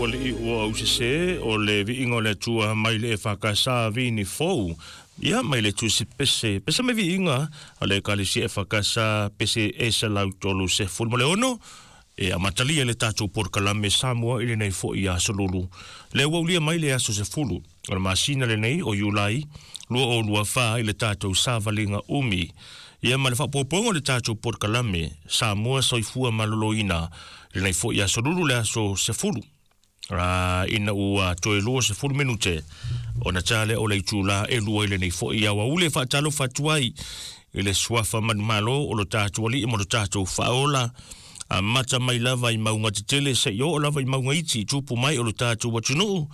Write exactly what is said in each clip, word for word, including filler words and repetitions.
Alii ua ausese o le viiga o le Atua mai le E F K S Vini Fou. Ia mai le tusi pese. Pese mai viiga a le Ekalesia E F K S pese e selau tolu sefulu ma le ono. E amatalia le tatou polokalame Samoa i lenei fo'i aso Lulu. Le ua ulia mai le aso sefulu o le masina lenei o Iulai lua o lua fa i le tatou savaliga umi. Ia ma le faaopoopoga o le tatou polokalame Samoa Soifua Maloloina lenei fo'i aso Lulu le aso sefulu. Uh, ina ua toe lua sefulu minute ona ta lea o le itulā e lua i lenei fo'i aoauli e faatalofa atu ai i le suafa manumalo o lo tatou Alii ma lo tatou Faaola amata mai lava i mauga tetele seia oo lava i mauga iti tupu mai o lo tatou atunuu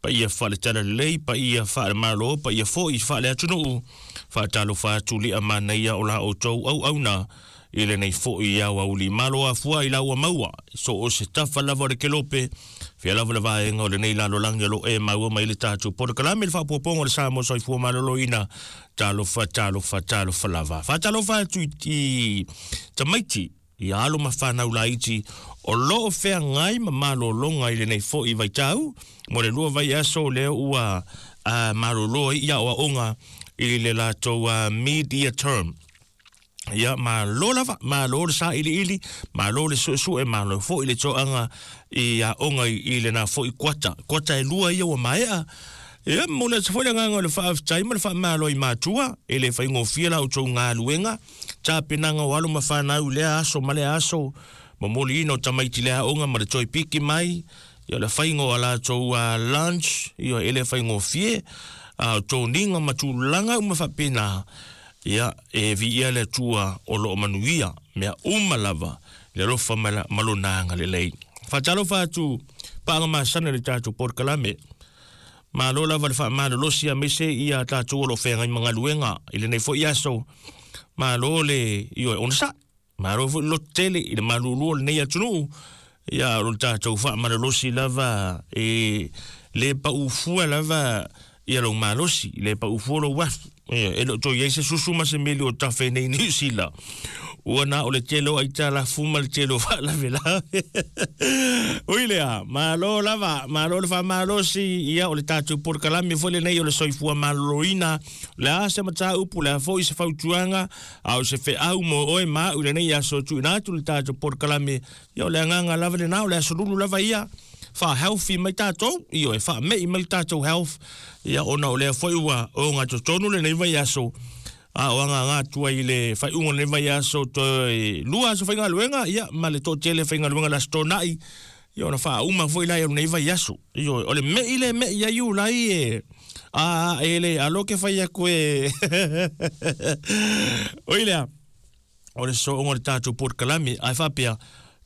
paia faale-talalelei paia faale-Malo paia fo'i faale-atunuu faatalofa atu li'a manaia o la outou auauna i lenei fo'i aoauli malo afua i la ua maua so o se tafa lava o le kelope fia lava le vaega o lenei lalolagi o lo e maua mai le tatou polokalame le faaopoopoga o le Samoa Soifua Maloloina. Talofa, talofa, talofa lava. Faatalofa atu i tamaiti ia alo ma fanau laiti o loo feagai ma malologa i lenei fo'i vaitau mo le lua vaiaso lea ua uh, malolo ai ia aoaoga i le latou uh, mid-year term. Ia malo lava, malo le sailiili, malo le suesue, malo fo'i le toaga i aoga i lena fo'i kuata. Kuata e lua ia ua maea. Ia mo le atu foi le agaga o le faafetai ma le faamalo i matua, e le faigofie la outou galuega, tapenaga o alo ma fanau i lea aso ma lea aso, momoliina o tamaiti le aoga ma le toe piki mai, ia le faiga o a latou uh, lunch, ia e le faigofie, a o toniga ma tulaga uma faapena, ia e viia le Atua o loo manuia mea uma lava le alofa ma lona agalelei. Faatalofa atu paaga masana le tatou polokalame. Malo lava le faamalolosi aemaise ia tatou o loo feagai ma galuega i lenei fo'i aso. Malo le ioe onosa'i. Malo foi le lototele i le malulu o lenei atunuu. Ia o le tatou faamalolosi lava e le paufua lava ia lou malosi, le paufua lou afu. E le o toe i ai se susu ma se meli o tafe nei Niu Sila. Ua na o le tele o aitalafu ma le tele o faalavelave. Ui lea, malo lava, malo le faamalosi, ia o le tatou polokalame foi lenei o le soifua maloloina. Le a se mataupu, le a foi se fautuaga, a o se feau mo oe ma au i lenei aso tuuina atu le tatou polokalame. Ia o le agaga lava lena o le aso Lulu lava ia faa-healthy mai tatou, ioe, faame'i mai le tatou health, ia ona o lea foi ua ogatotonu lenei vaiaso a o agaga atu ai i le faaiuga o lenei vaiaso toe lua aso faigaluega ia ma le toatele faigaluega le Aso Toonai ia ona faauma foi la o lenei vaiaso. Ioe, o le me'i le me'i ai Iulai e a e le alo ke fai atu e oi lea o le sooga o le tatou polokalame ae faapea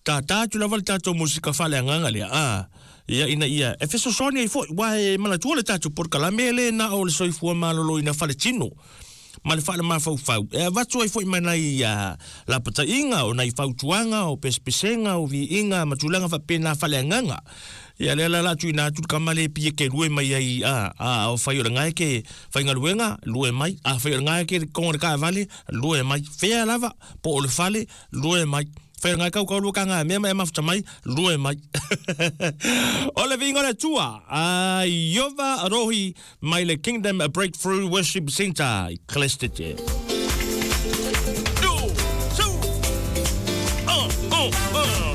tātā atu lava le tatou musika faaleagaga lea a ia ina ia e fesoasoani ai foi ua e manatua le tatou polokalame le na o le soifua maloloina faletino ma le faalemafaufau e avatu ai foi ma nai uh, lapataiga o nai fautuaga o pesepesega o viiga ma tulaga faapena faaleagaga ia lea la la tuuina atu le kama le pie ke lue mai ai a a o fai o le gae ke faigaluega lue mai a fai o le gae ke kongo le kaavale lue mai fea lava po o le fale lue mai fai o le gae kaukau lua kaga mea ma e mafuta mai lue mai o le viiga o le Atua a Iova Rohi mai le Kingdom Breakthrough Worship Center i Christchurch. Two, two, uh, uh, uh.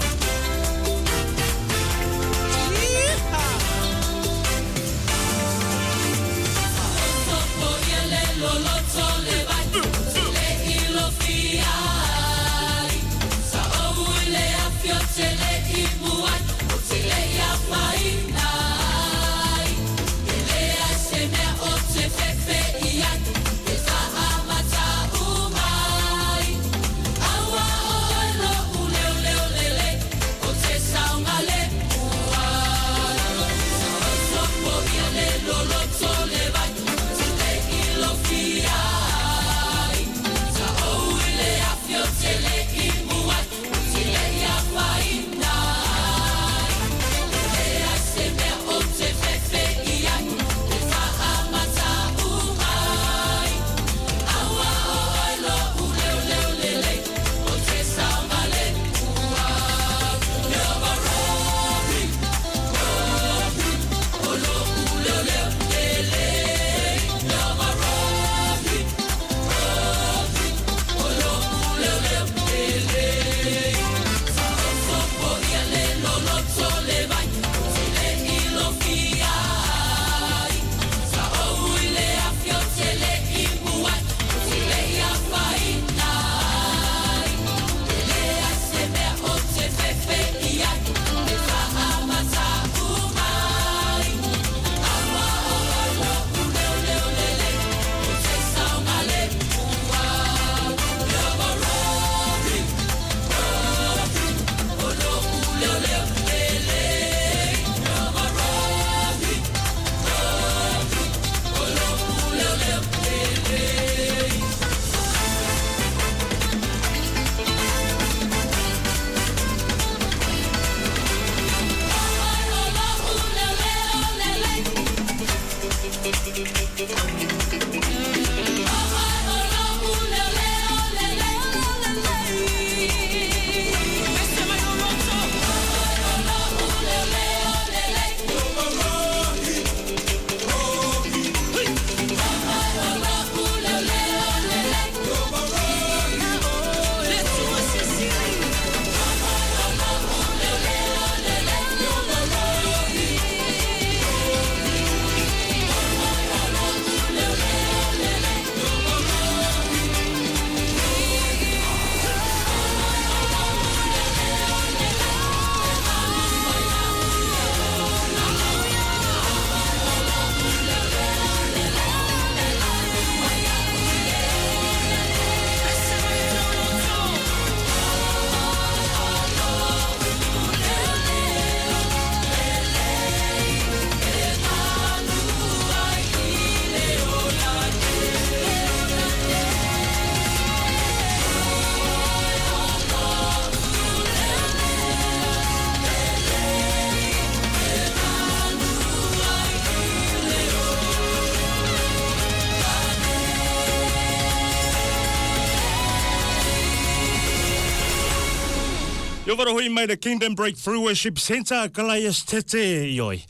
Yo mai the Kingdom Breakthrough Worship Center Kalaias Tete ioi.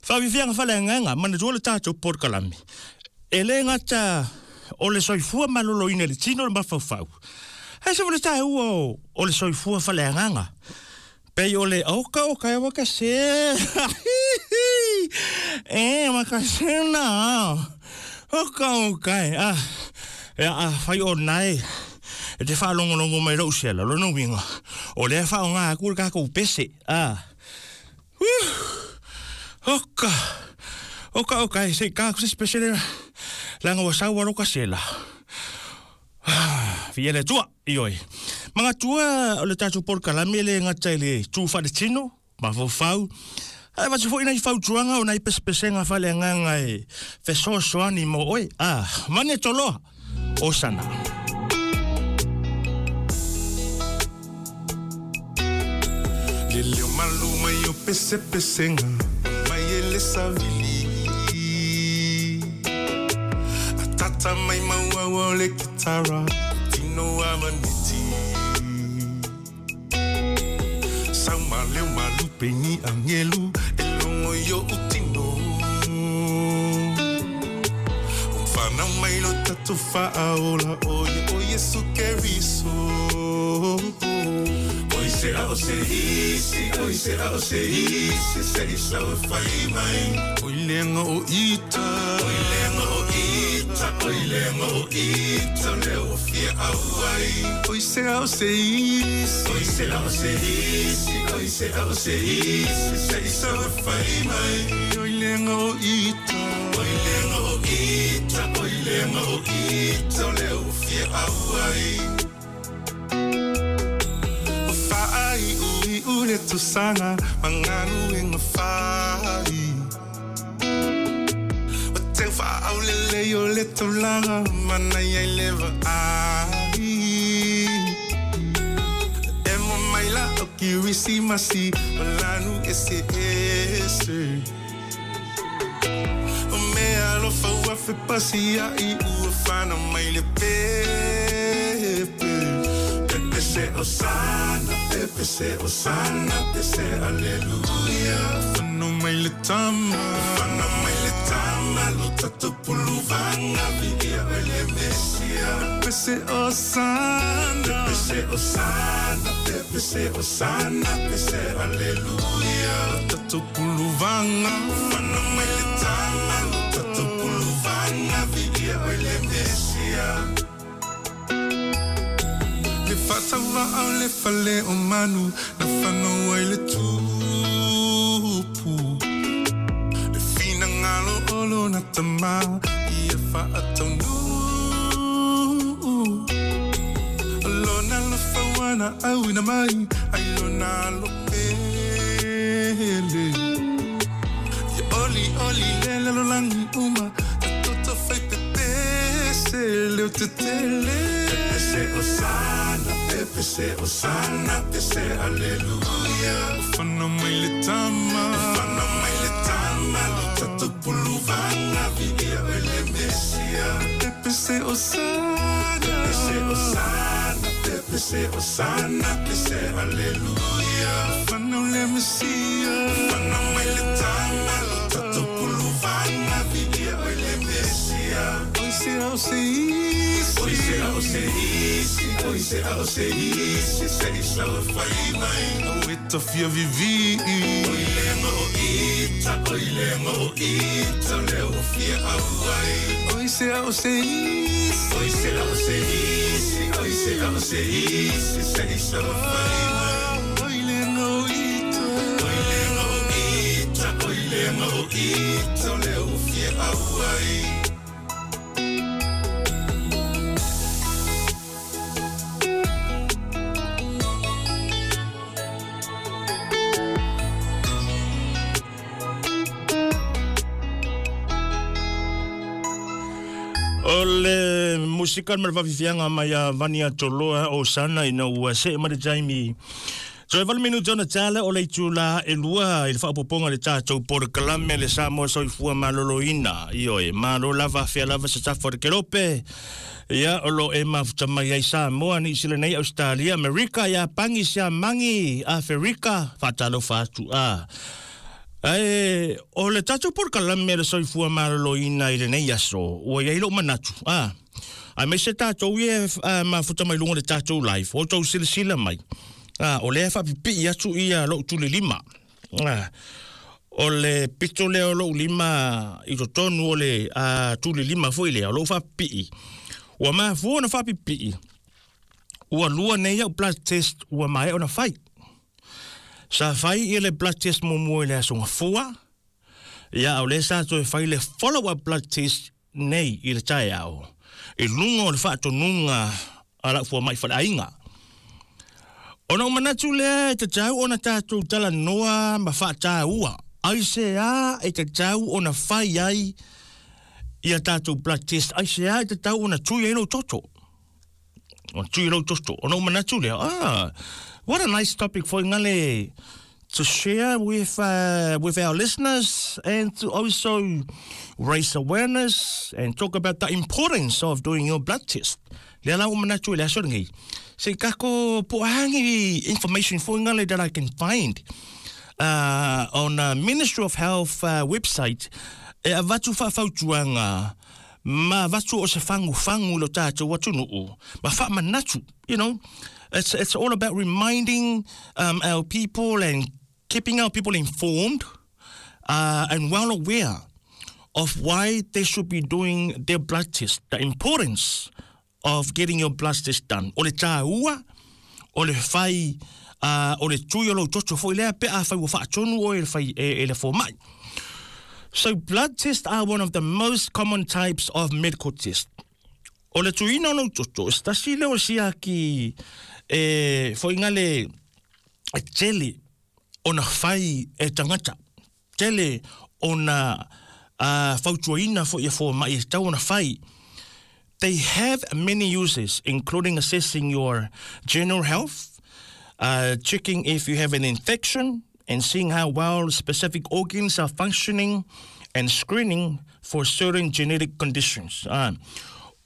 Whaawiwianga whale nganga, mana tua le tātou porokalame. E le ngata o le soifua malolo ina le tino le mawhauwhau. Hei se wale tā ua o le soifua whale nganga. Pei o le oka o kai waka se. E waka se na. Oka o kai. Ah, e a whai o nai. E te whaalongolongo mai rau sela, lono winga. O lea whao ngā kura kākou pese. Ah. Oka. Oka, oka, se kākou se spesiale. Langa wa sau waroka sela. Fia le tua, ioi. Mga tua o le tātou porokalame le ngata i le tū whare tino, mawhauwhau. Ai watu fo ina i whautuanga o nai pesepesenga whale nganga e fesoasoani mo oi. Ah, mane toloa. Osana. Le leo maluma yo pese pesenga mai ele savili atata mai maua o le kitara tino amaniti sau maleo malupe ni angelu elongo yo utino umfana mai lo tatu faaola oye oye su keriso. Oi se a o se isi, oi se a o se isi, se isa o fai mai. Oi lenga o ita, oi lenga o ita, oi lenga o ita, le o fia au ai. Oi se a o se isi, oi se a o se isi, oi se a o se isi, se isa o fai mai. Oi lenga o ita, oi lenga o ita, oi lenga o ita, le o fia au ai. Ai ui ule tusanga manganu inga fai o te wha au le le o le taulanga mana ia leva ai e mo mai la o kirisi masi malanu ese ese o mea alofa ua fepasia i ua fana mai le pepe. Pepe se osana, pepe se osana, pepe se aleluia. Fano mai le tama, fano mai le tama, lo tatupuluvanga viia o le Mesia. Pepe se osana, pepe se osana, pepe se osana, pepe se aleluia. Lo tatupuluvanga, fano mai le tama, lo tatupuluvanga viia o le Mesia. Le fatawa au le fale o manu, na whanau ai le tupu. Le whina ngalo olo na tama, ia whaataunu. Lona lo whawana au ina mai, ai lona lo pele. Ia oli oli lele lo langi uma, ta toto whai pepese, leo te tele. Pepe se osana, pepe se osana, pepe se aleluia. Fana mai le tama, fana mai le tama, lo tatupulu puluvanga Viia oe le Mesia Pepese Osana Pepese Osana Pepese Osana Pese Aleluia Whanau le Mesia Whanau mai le tama Lo tatou puluvanga Viia oe le Mesia Oi se ao se isi Oi se ao se isi Oi se ao se isi Se isa o fai mai O e tafia vivi Oi lenga o ita Oi lenga o ita Le o fia au ai Oi se ao se isi Oi se ao se isi Oi se ao se isi Se isa o fai mai Oi lenga o ita Oi lenga o ita Oi lenga o ita Le o fia au ai. O le musika ma le vaafiafiaga mai a Vania Toloa o sana ina ua see ma le taimi. So e valu minuti ona tala o le itulā e lua i le faapopoga le tatou polokalame le Samoa Soifua Malōlōina. Ioe, malo lava afea lava se tafa o le kelope. Ia, o lo e mafuta mai ai Samoa, Ni Sila nei, Australia, Amerika, Iapani, Siamagi, Aferika, faatalofa atu a. Ae, o le tatou polokalame le Soifua Malōlōina i lenei aso, ua iai lou manatu. Ah, aemaise tatou ia mafuta mai luga o le tatou live, o tou silasila mai. Ah, o lea faapipii atu ia lou tulilima. Ah, o le pito lea o lou lima i totonu o le ah, tulilima foi lea, o lou faapipii. Ua mafua ona faapipii. Ua lua nei au blood test ua maea ona fai. Sa fai ia le blood test muamua i le aso gafua. Ia, o lea sa toe fai le follow-up blood test nei i le taeao. I luga o le faatonuga a lau fuama'i faleaiga. Ona ou manatu lea e tatau ona tatou talanoa ma faataua. Aiseā e tatau ona fai ai ia tatou blood test. Aiseā e tatau ona tui ai lou toto. Ona tui lou toto. Ona ou manatu lea, ah, what a nice topic for ngale to share with uh, with our listeners and to also raise awareness and talk about the importance of doing your blood test. Lea la ua manatu i le aso lenei. Se kako po hangi information for ngale that I can find uh, on a Ministry of Health uh, website e avatu faafautuaga ma avatu o se fagufagu lo tatou atunuu ma faamanatu. You know, it's it's all about reminding um, our people and keeping our people informed uh, and well aware of why they should be doing their blood test, the importance of getting your blood test done. O le tāua, o le fai, uh, o le tui o lou toto foi lea pe a fai ua faatonu oe e le fai e, e le fomai. So blood tests are one of the most common types of medical tests. O le tuina o lou toto, se tasi lea o siaki e foiga le e tele ona fai e tagata. Tele ona uh, fautuaina foi e fomai e tau ona fai. They have many uses, including assessing your general health, uh, checking if you have an infection, and seeing how well specific organs are functioning, and screening for certain genetic conditions. Ah.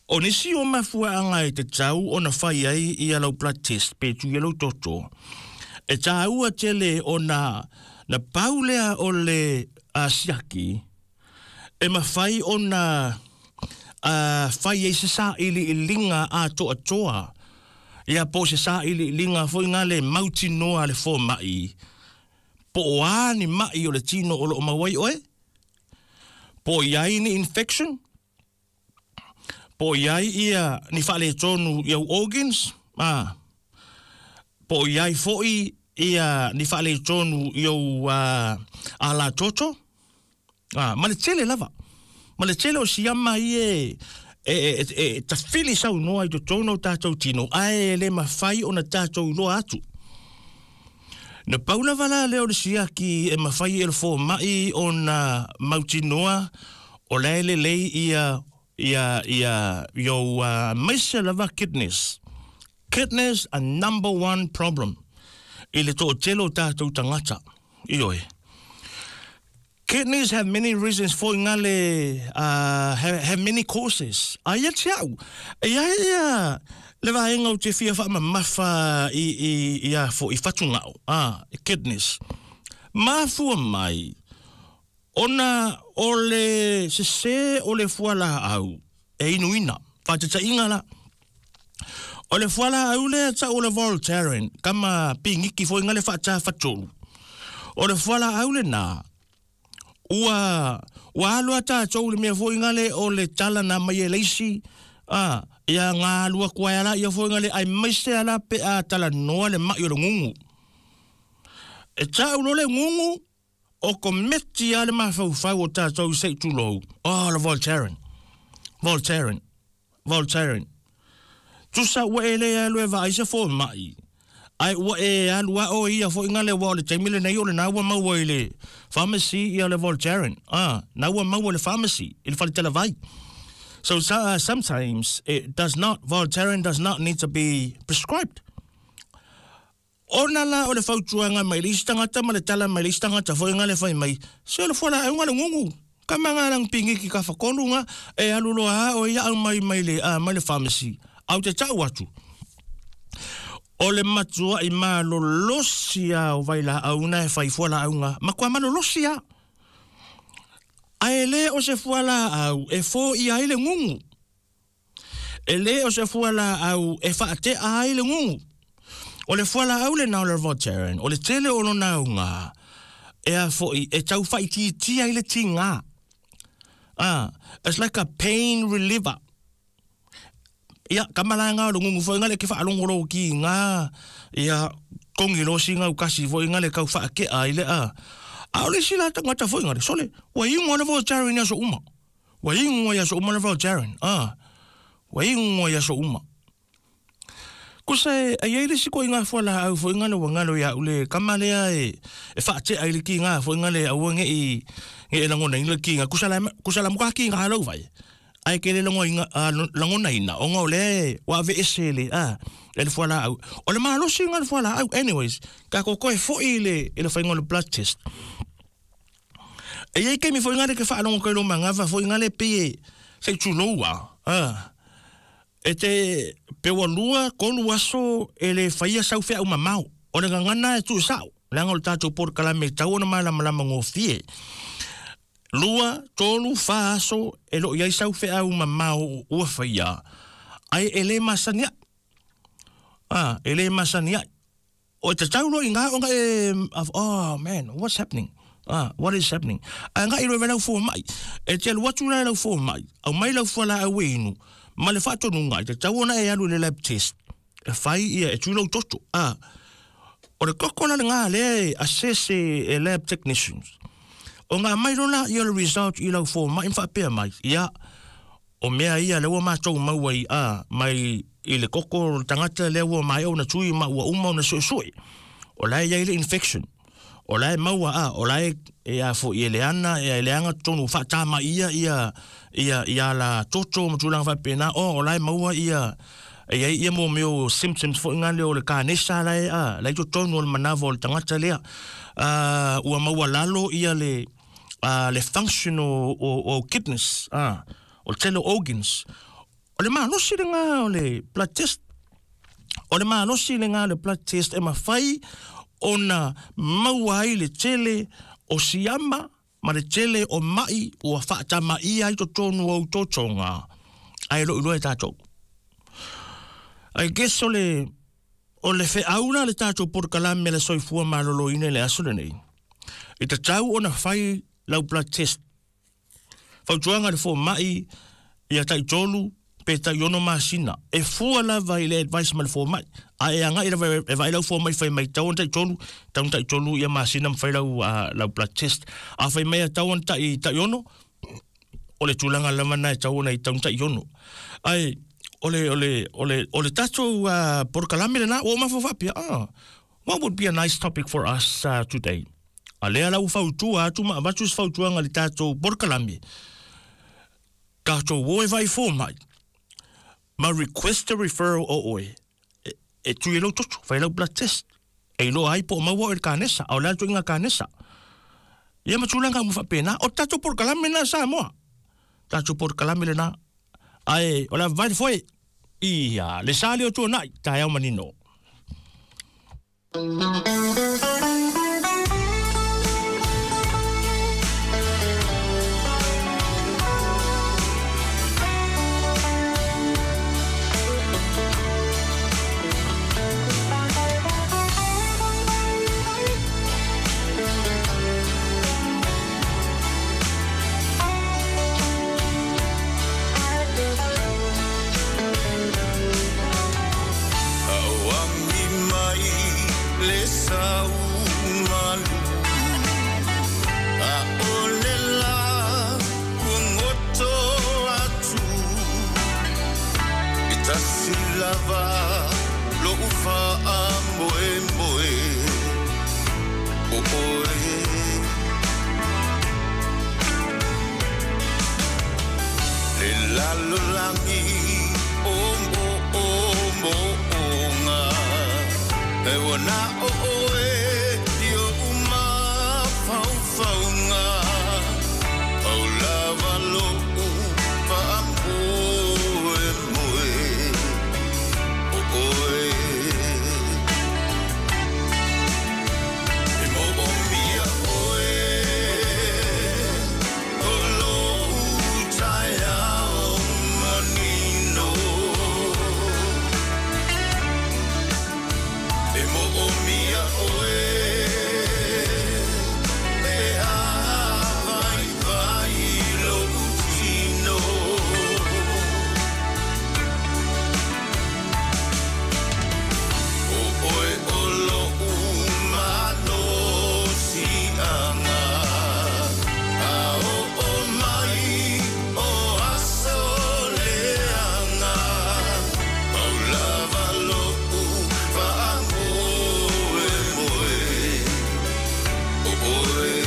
O nisi o mafuaaga e tatau ona fai ai ia lau blood test pe tui e lou toto. E tāua tele ona na pau lea o le uh, siaki e mafai ona uh, fai ai se sailiiliga atoatoa. Ia po o se sailiiliga foi gale mautinoa le foma'i. Po o a ni ma'i o le tino o loo maua ai oe. Po o iai ni infection. Po o iai ia ni faaletonu i au organs. Ah. Po o iai foi ia ni faaletonu i au uh, alatoto. Ah, ma le tele lava. Ma le tele o siama i e e, e, e tafili saunoa i totonu o tatou tino, ae le mafai ona tatou iloa atu. Na pau lava la lea o le siaki e mafai e le foma'i ona mautinoa o la e lelei ia ia ia iou uh, maise lava kidneys. Kidneys are number one problem i le to'atele o tatou tagata. Ioe. Kidneys have many reasons for ngale uh, have, have many causes. A ia te au. Ia ia le vaenga o te fia whaamamafa i, i, i a fo i whatungao. Ah, kidneys. Mafua mai, ona o le sese o le fuala au, e inuina, whatatainga la. O le fuala au le ta o le Voltaren, kama pingiki fo inga le whata whatolu. O le fuala au le nā, ua, ua alua tātou le mea fo inga le o le tala nā mai e leisi, ah, ia ngā alua kua ala, ia fo inga le ai maise ala pe a tala noa le mai o le ngungu. E tau lo le ngungu, o kometi a le mawhauwhau o tātou sei tūlou. Oh, le Voltaren. Voltaren. Voltaren. Tusa ua e le alu e vaai se fo mai. Ai ua e alu a o ia fo inga le wa o le taimile nei o le nā ua maua i le pharmacy ia le Voltaren. Ah, nā ua maua le pharmacy i le whalitela vai. So uh, sometimes it does not, Voltaren does not need to be prescribed. Ona la o le fautuanga mai le isi tagata ma le tala mai le isi tagata foi nga le fai mai. Se o le fuala au nga le ngungu. Ka manga lang pingi ki ka whakolu nga e alu loa o ia au mai mai le, uh, mai le pharmacy. Au te tau atu. O le matua i malolosia o vai la au na e fai fuala au nga. Ma kua malolosia. A e le o se fuala au e fo i ai le ngungu. E le o se fuala au e whaate a ai le ngungu. O le fuala au le nā o le Voltaren, o le tele o lo nā unga, e a foi, e tau whai ti tia i le tinga. Ah, it's like a pain reliever. Ia, kamala ngā o le ngungu foi ngā le ke whaalongolo ki ngā, ia, kongi lo si ngā ukasi foi ngā le kau whaake a i le a. A o le sila tangata foi ngā le, sole, wa ingoa le Voltaren ia so uma. Wa ingoa ia so uma le Voltaren, ah. Wa ingoa ia so uma. Kusa e ai le siko inga fuala au fo inga le wangalo ia ule kamalea e e whaate ai le ki ngā fo inga le au nge i nge e langona inga le ki ngā kusa la kusa la muka ki ngā lau vai ai ke le longo inga langona ina o ngau le wa ve ese le a le fuala au o le malosi inga le fuala au anyways ka koko e fo i le e le whainga le blood test e ai ke mi fo inga le ke whaalongo ke lo mangava fo inga le pe se tuloua ah e te pewa lua, kolu aso, e le whaia sau whea umamau. O le ngangana e tu sao. Leanga o le tātou porokala me tau ona malamalama ngofie. Lua, tolu, wha aso, e lo iai sau whea umamau ua whaia. Ai e le masani ai. Ah, e le masani ai. O te tau lo inga, o nga e, oh man, what's happening? Ah, what is happening? A nga i roe lau fō mai. E te alu atu lai lau fō mai. Au mai lau fua la au inu. Ma le whaatonunga, i te tau ona e alu le lab test. E whai ia, e tūlau toto. Ah, o le koko la le ngā le assess e lab technicians. O ngā mai lola ia le result i lau fō mai, mwhaapea mai. Ia, o mea ia le ua mātou maua i a, mai i le koko tangata le ua mai au na tui ma ua uma o na sui. O la ia i le infection. O la e maua a, o la e e a fo i le ana, e le anga tonu whaatama ia, ia, ia, ia la toto matulanga whapena, o, o la e maua ia, ia, ia mo meo symptoms fo inga leo le kānesa la e a, la i tonu o le manava o le tangata lea, uh, ua maua lalo ia le, uh, le function o, o, o kidneys, uh, o tele organs. O le malosi le ngā o le blood test, o le malosi le ngā o le blood test e mawhai ona maua ai le tele o siama ma le tele o mai ua whaatama ia i totonu au totonga. Ai lo iloa e tātou. I guess o le, o le wheauna le tātou porkalame le soifua malolo ine le aso lenei. I te tau ona whai lau blood test. Fautuanga le fō mai ia tai tolu pe tai ono masina. E fua lava i le advice ma le fō mai. A e anga i lava e vai lau fō mai whai mai tau tai tolu, tau tai tolu ia masina mwhai lau, uh, lau blood test. A whai mai a tau tai, tai ono, o le tūlanga lava nai tau ona i tau tai ono. Ai, o le, o le, o le, o le tātou uh, porkalame le nā, o mawhawhapia, ah, what would be a nice topic for us uh, today? A lea lau fautua, atu ma avatu se fautuanga le tātou porkalame. Tātou o e vai fō mai. Ma request a referral o oe. E, e tui e lau toto, whai lau blood test. E ilo ai po maua o le kānesa, au le atu inga kānesa. Ia ma tulaga uma faapena o tatou polokalame lena Samoa. Tatou polokalame lena. Ae o le vai le foe. Ia, le sa lea o tuanai, taeao manino. Lava lo ufa a moe moe o oe le lalo langi o mo o mo o nga e wana o oe io uma fau fau nga au lava lo ufa a moe moe oe e mo o mia oe o lo tai ao manino e mo o mia oe e a vai vai lo tino. Oe o lo umano si anga a o o mai o aso leanga au lava lo u fa moe moe o oe.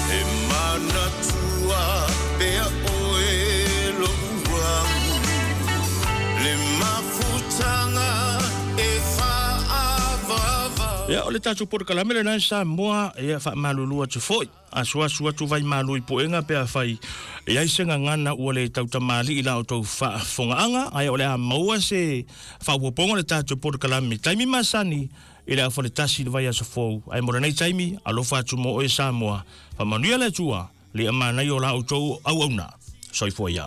E manatua pea oe lo uamu le mafutanga e whaavava. Ia, o le tatou polokalame lena Samoa, ia faamalulu atu foi. Asuasu atu vai malu i poenga pe afai. Ia i se gagana ua le tautamali'i la outou faafogaaga, ae o le a maua se faaopoopoga o le tatou polokalame. Taimi masani, i le afa le tasi le vai aso fou. Ae mo lenei taimi, alofa atu mo oe Samoa. Faamanuia le Atua, le amanai o la outou auauna. Soifua ia.